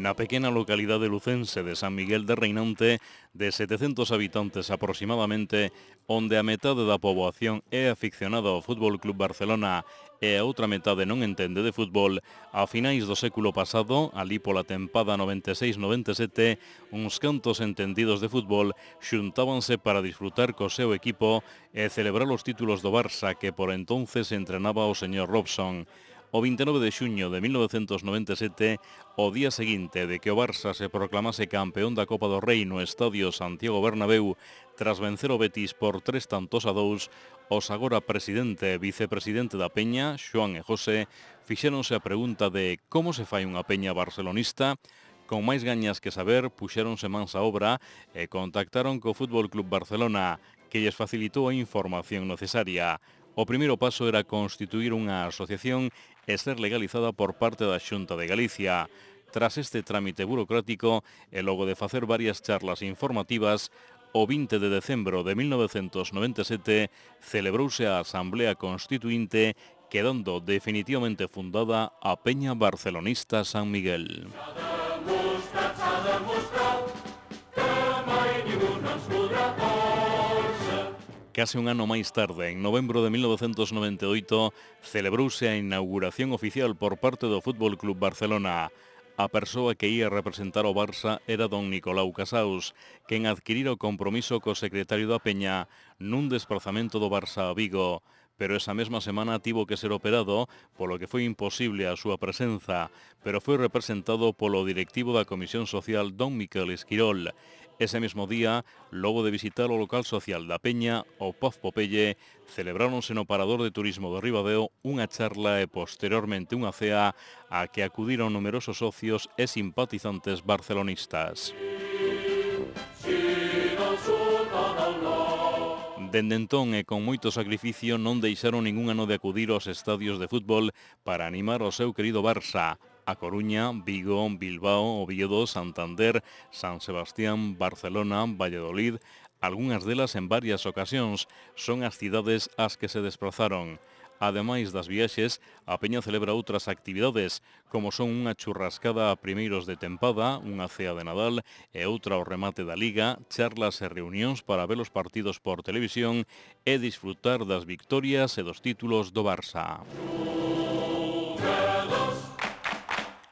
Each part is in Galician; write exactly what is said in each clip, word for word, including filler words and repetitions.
Na pequena localidade lucense de San Miguel de Reinante, de setecentos habitantes aproximadamente, onde a metade da poboación é aficionada ao Fútbol Club Barcelona e a outra metade non entende de fútbol, a finais do século pasado, ali pola tempada noventa e seis noventa e sete, uns cantos entendidos de fútbol xuntábanse para disfrutar co seu equipo e celebrar os títulos do Barça que por entonces entrenaba o señor Robson. O vinte e nove de xuño de mil novecentos noventa e sete, o día seguinte de que o Barça se proclamase campeón da Copa do Rei no Estadio Santiago Bernabéu, tras vencer o Betis por tres tantos a dous, os agora presidente e vicepresidente da Peña, Xoán e José, fixéronse a pregunta de como se fai unha peña barcelonista. Con máis gañas que saber, puxéronse mans á obra e contactaron co Fútbol Club Barcelona, que lles facilitou a información necesaria. O primeiro paso era constituir unha asociación e ser legalizada por parte da Xunta de Galicia. Tras este trámite burocrático e logo de facer varias charlas informativas, o vinte de decembro de mil novecentos noventa e sete celebrouse a Asamblea Constituinte, quedando definitivamente fundada a Peña Barcelonista San Miguel. Case un ano máis tarde, en novembro de mil novecentos noventa e oito, celebrouse a inauguración oficial por parte do Fútbol Club Barcelona. A persoa que ia representar o Barça era don Nicolau Casaus, quen adquirira o compromiso co secretario da Peña nun desplazamento do Barça a Vigo. Pero esa mesma semana tivo que ser operado, polo que foi imposible a súa presenza, pero foi representado polo directivo da Comisión Social don Miquel Esquirol. Ese mesmo día, logo de visitar o local social da Peña, o Paz Popeye, celebráronse no Parador de Turismo do Ribadeo unha charla e posteriormente unha cea a que acudiron numerosos socios e simpatizantes barcelonistas. Dende entón e con moito sacrificio non deixaron ningún ano de acudir aos estadios de fútbol para animar o seu querido Barça. A Coruña, Vigo, Bilbao, Oviedo, Santander, San Sebastián, Barcelona, Valladolid, algunhas delas en varias ocasións, son as cidades ás que se desplazaron. Ademais das viaxes, a Peña celebra outras actividades, como son unha churrascada a primeiros de tempada, unha cea de Nadal e outra ao remate da Liga, charlas e reunións para ver os partidos por televisión e disfrutar das victorias e dos títulos do Barça.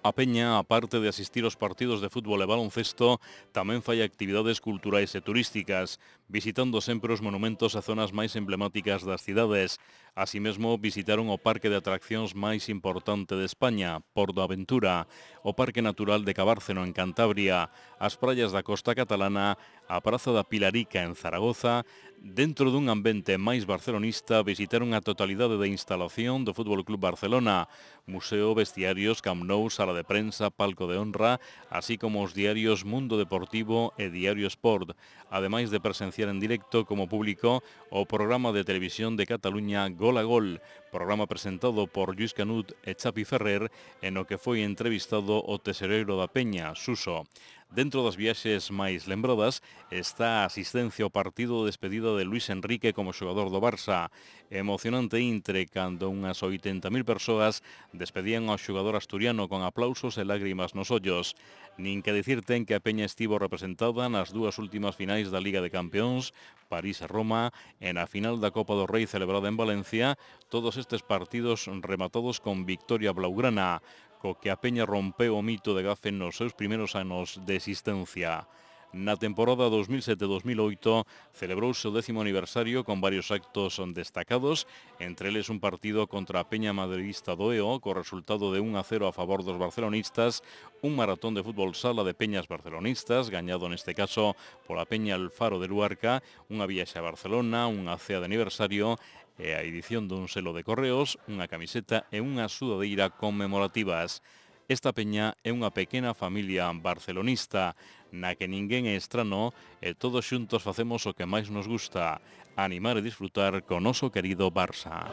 A Peña, aparte de asistir aos partidos de fútbol e baloncesto, tamén fai actividades culturais e turísticas, visitando sempre os monumentos e zonas máis emblemáticas das cidades. Así mesmo, visitaron o parque de atraccións máis importante de España, Porto Aventura, o Parque Natural de Cabárceno en Cantabria, as praias da costa catalana, a Praza da Pilarica en Zaragoza. Dentro dun ambiente máis barcelonista, visitaron a totalidade da instalación do Fútbol Club Barcelona, museo, vestiarios, Camp Nou, sala de prensa, palco de honra, así como os diarios Mundo Deportivo e Diario Sport, ademais de presenciar en directo como público o programa de televisión de Cataluña Gol a Gol, programa presentado por Lluís Canut e Chapi Ferrer, en o que foi entrevistado o tesoreiro da Peña, Suso. Dentro das viaxes máis lembradas está a asistencia ao partido de despedida de Luís Enrique como xogador do Barça. Emocionante intre cando unhas oitenta mil persoas despedían ao xogador asturiano con aplausos e lágrimas nos ollos. Nin que dicir ten que a Peña estivo representada nas dúas últimas finais da Liga de Campeóns, París e Roma, e na final da Copa do Rei celebrada en Valencia, todos estes partidos rematados con victoria blaugrana, co que a Peña rompeu o mito de Gafe nos seus primeiros anos de existencia. Na temporada dos mil sete dos mil oito celebrouse o décimo aniversario con varios actos destacados, entre eles un partido contra a Peña madridista do E O, co resultado de un a cero a favor dos barcelonistas, un maratón de fútbol sala de peñas barcelonistas, gañado neste caso pola Peña Alfaro de Luarca, unha viaxe a Barcelona, unha cea de aniversario e a edición dun selo de correos, unha camiseta e unha sudadeira conmemorativas. Esta peña é unha pequena familia barcelonista na que ninguén é estrano e todos xuntos facemos o que máis nos gusta, animar e disfrutar co noso querido Barça.